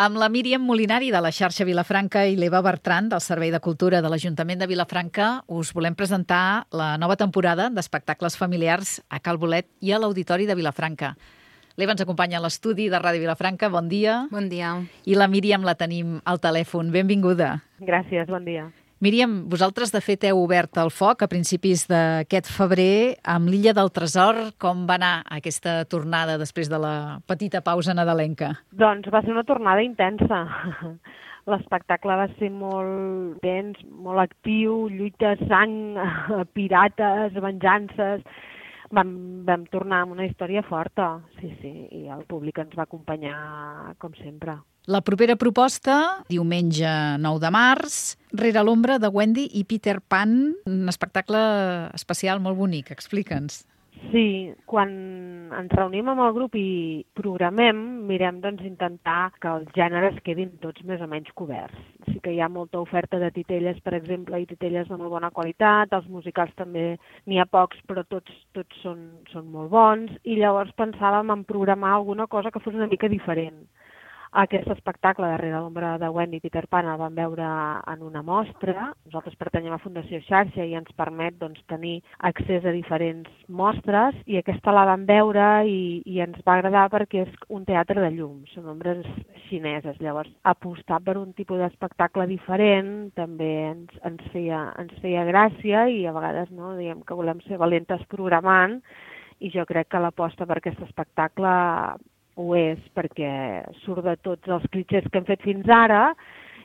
Amb la Míriam Molinari de la xarxa Vilafranca i l'Eva Bertran del Servei de Cultura de l'Ajuntament de Vilafranca us volem presentar la nova temporada d'espectacles familiars a Cal Bolet i a l'Auditori de Vilafranca. L'Eva ens acompanya a l'estudi de Ràdio Vilafranca. Bon dia. Bon dia. I la Míriam la tenim al telèfon. Benvinguda. Gràcies, bon dia. Míriam, vosaltres de fet heu obert el foc a principis d'aquest febrer amb l'Illa del Tresor. Com va anar aquesta tornada després de la petita pausa nadalenca? Doncs va ser una tornada intensa. L'espectacle va ser molt intens, molt actiu, lluita, sang, pirates, venjances. Vam tornar amb una història forta, sí, i el públic ens va acompanyar com sempre. La propera proposta, diumenge 9 de març, Rere l'ombra de Wendy i Peter Pan, un espectacle especial molt bonic. Explica'ns. Sí, quan ens reunim amb el grup i programem, mirem intentar que els gèneres quedin tots més o menys coberts. Sí que hi ha molta oferta de titelles, per exemple, i titelles de molt bona qualitat, els musicals també n'hi ha pocs, però tots són molt bons, i llavors pensàvem en programar alguna cosa que fos una mica diferent. Aquest espectacle de Rere l'ombra de Wendy i Peter Pan el vam veure en una mostra. Nosaltres pertanyem a Fundació Xarxa i ens permet tenir accés a diferents mostres, i aquesta la vam veure i ens va agradar perquè és un teatre de llum, són ombres xineses. Llavors, apostar per un tipus d'espectacle diferent també ens feia gràcia, i a vegades diem que volem ser valentes programant, i jo crec que l'aposta per aquest espectacle ho és, perquè surt de tots els clitxers que hem fet fins ara,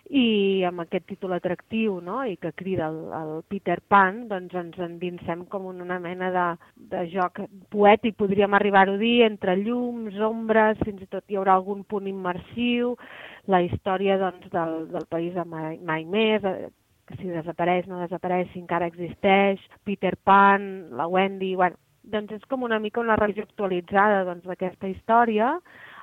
i amb aquest títol atractiu, i que crida el Peter Pan, doncs ens endinsem com una mena de joc poètic, podríem arribar-ho a dir, entre llums, ombres, fins i tot hi haurà algun punt immersiu, la història del país de Mai Més, que si desapareix, no desapareix, si encara existeix, Peter Pan, la Wendy, doncs és com una mica una revisió actualitzada d'aquesta història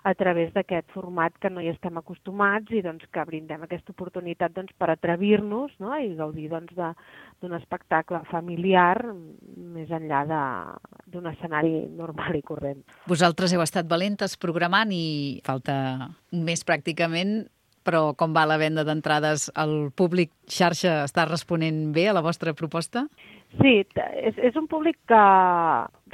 a través d'aquest format que no hi estem acostumats, i que brindem aquesta oportunitat per atrevir-nos i gaudir d'un espectacle familiar més enllà d'un escenari normal i corrent. Vosaltres heu estat valentes programant i falta un mes pràcticament, però com va la venda d'entrades? El públic xarxa està responent bé a la vostra proposta? Sí, és un públic que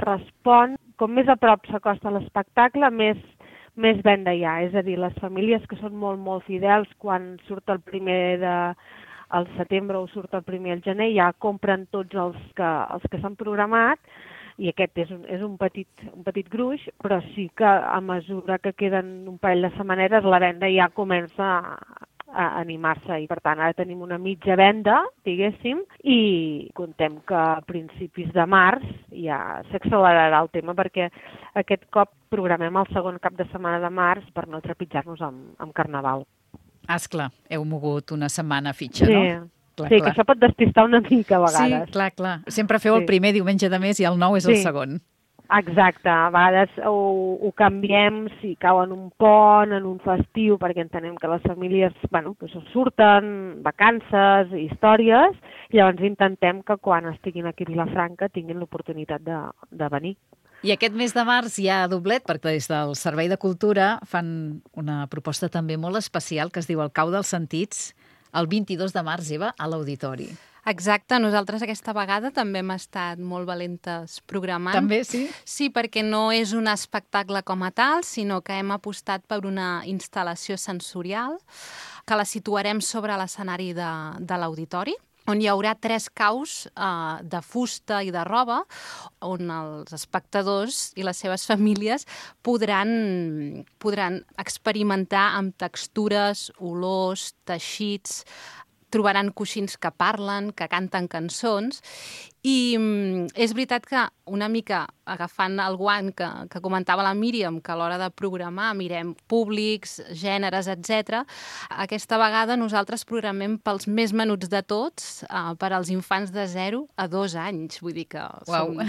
respon, com més a prop s'acosta l'espectacle, més venda hi ha. És a dir, les famílies que són molt, molt fidels, quan surt el primer al setembre o surt el primer al gener, ja compren tots els que s'han programat, i aquest és un petit gruix, però sí que a mesura que queden un parell de setmanetes la venda ja comença a animar-se, i per tant ara tenim una mitja venda, diguéssim, i contem que a principis de març ja s'accelerarà el tema, perquè aquest cop programem el segon cap de setmana de març per no trepitjar-nos amb Carnaval. Esclar, heu mogut una setmana fitxa, no? Clar. Que això pot despistar una mica a vegades. Sí, clar. Sempre feu el primer diumenge de mes i el 9 és el segon. Exacte, a vegades ho canviem si cau en un pont, en un festiu, perquè entenem que les famílies surten, vacances, històries, i llavors intentem que quan estiguin aquí a Vilafranca tinguin l'oportunitat de venir. I aquest mes de març hi ha doblet, perquè des del Servei de Cultura fan una proposta també molt especial que es diu El cau dels sentits, el 22 de març, Eva, a l'Auditori. Exacte, nosaltres aquesta vegada també hem estat molt valentes programant. També, sí? Sí, perquè no és un espectacle com a tal, sinó que hem apostat per una instal·lació sensorial que la situarem sobre l'escenari de l'Auditori, on hi haurà 3 caus de fusta i de roba, on els espectadors i les seves famílies podran experimentar amb textures, olors, teixits. Trobaran coixins que parlen, que canten cançons, i és veritat que una mica agafant el guant que comentava la Míriam, que a l'hora de programar mirem públics, gèneres, etc. Aquesta vegada nosaltres programem pels més menuts de tots, per als infants de 0 a 2 anys. Vull dir que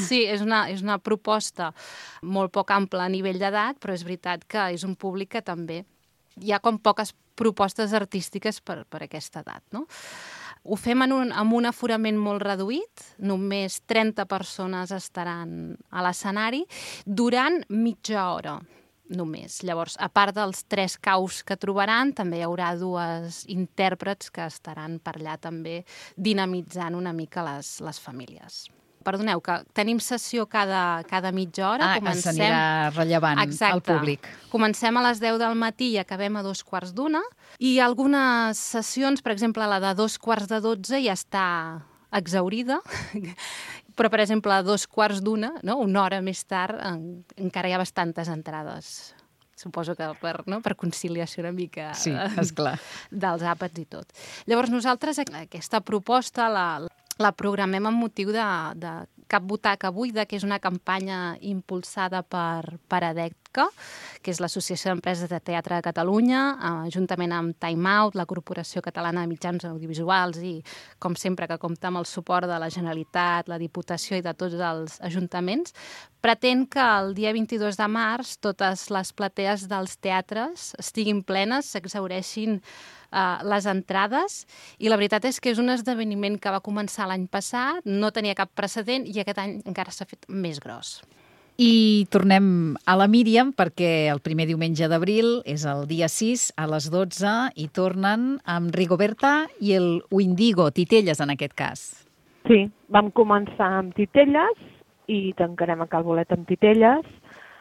sí, és una proposta molt poc ampla a nivell d'edat, però és veritat que és un públic que també hi ha com poques propostes artístiques per aquesta edat, no? Ho fem amb un aforament molt reduït, només 30 persones estaran a l'escenari durant mitja hora. només. Llavors, a part dels 3 caus que trobaran, també hi haurà 2 intèrprets que estaran per allà també dinamitzant una mica les famílies. Perdoneu, que tenim sessió cada mitja hora. S'anirà rellevant al públic. Comencem a les 10 del matí i acabem a 2:15, i algunes sessions, per exemple, la de 11:45 ja està exhaurida, però, per exemple, a 2:15, no? Una hora més tard, encara hi ha bastantes entrades. Suposo que per conciliació una mica sí, esclar, dels àpats i tot. Llavors, nosaltres aquesta proposta la programem amb motiu de Cap Butaca Buida, que és una campanya impulsada per ADECCA, que és l'Associació d'Empreses de Teatre de Catalunya, juntament amb Time Out, la Corporació Catalana de Mitjans Audiovisuals i, com sempre, que compta amb el suport de la Generalitat, la Diputació i de tots els ajuntaments. Pretén que el dia 22 de març totes les platees dels teatres estiguin plenes, s'exhaureixin les entrades, i la veritat és que és un esdeveniment que va començar l'any passat, no tenia cap precedent i aquest any encara s'ha fet més gros. I tornem a la Míriam, perquè el primer diumenge d'abril és el dia 6 a les 12 i tornen amb Rigoberta i el Windigo, Titelles en aquest cas. Sí, vam començar amb Titelles i tancarem a Cal Bolet amb Titelles.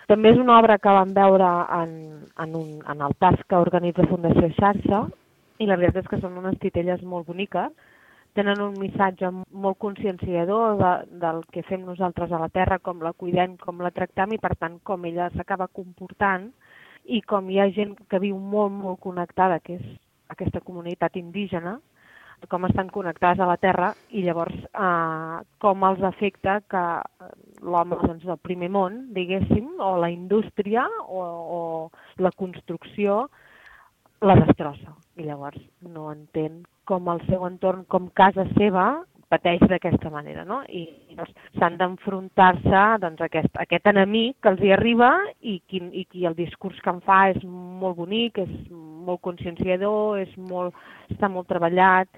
També és una obra que vam veure en el TAS que organitza Fundació Xarxa, i la veritat és que són unes titelles molt boniques, tenen un missatge molt conscienciador del que fem nosaltres a la terra, com la cuidem, com la tractem i, per tant, com ella s'acaba comportant i com hi ha gent que viu molt, molt connectada, que és aquesta comunitat indígena, com estan connectades a la terra i llavors com els afecta que l'home del primer món, diguéssim, o la indústria o la construcció la destrossa. I llavors no entén com el seu entorn, com casa seva, pateix d'aquesta manera, no? I doncs, s'han d'enfrontar-se a aquest enemic que els hi arriba i el discurs que en fa és molt bonic, és molt conscienciador, està molt treballat,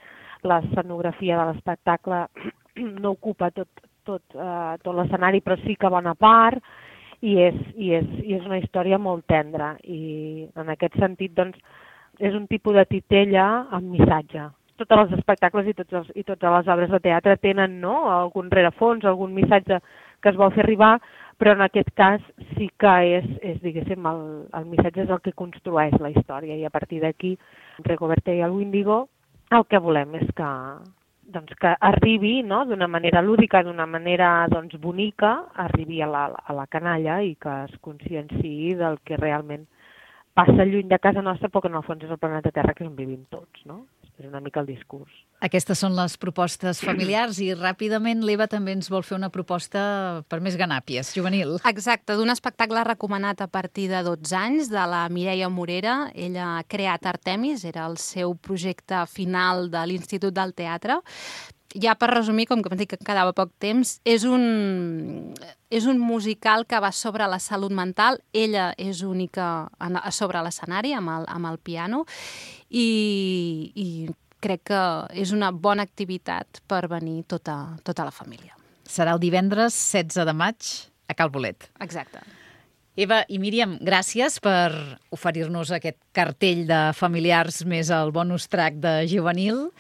l'escenografia de l'espectacle no ocupa tot l'escenari, però sí que bona part, i és una història molt tendra. I en aquest sentit, doncs, és un tipus de titella amb missatge. Tots els espectacles i totes les obres de teatre tenen algun rerefons, algun missatge que es vol fer arribar, però en aquest cas sí que és diguéssim, el missatge és el que construeix la història, i a partir d'aquí, Rigoberta i el Windigo, el que volem és que arribi d'una manera lúdica, d'una manera bonica, arribi a la canalla i que es conscienciï del que realment passa lluny de casa nostra, però que en el fons és el planeta Terra que on vivim tots, no? És una mica el discurs. Aquestes són les propostes familiars i ràpidament l'Eva també ens vol fer una proposta per més ganàpies, juvenil. Exacte, d'un espectacle recomanat a partir de 12 anys, de la Mireia Morera. Ella ha creat Artemis, era el seu projecte final de l'Institut del Teatre. Ja per resumir, com que em dic que quedava poc temps, és un musical que va sobre la salut mental. Ella és única sobre l'escenari, amb el piano, i crec que és una bona activitat per venir tota la família. Serà el divendres 16 de maig a Cal Bolet. Exacte. Eva i Míriam, gràcies per oferir-nos aquest cartell de familiars més el bonus track de juvenil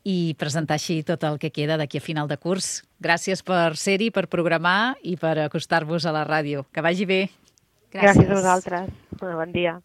i presentar així tot el que queda d'aquí a final de curs. Gràcies per ser-hi, per programar i per acostar-vos a la ràdio. Que vagi bé. Gràcies a vosaltres. Bon dia.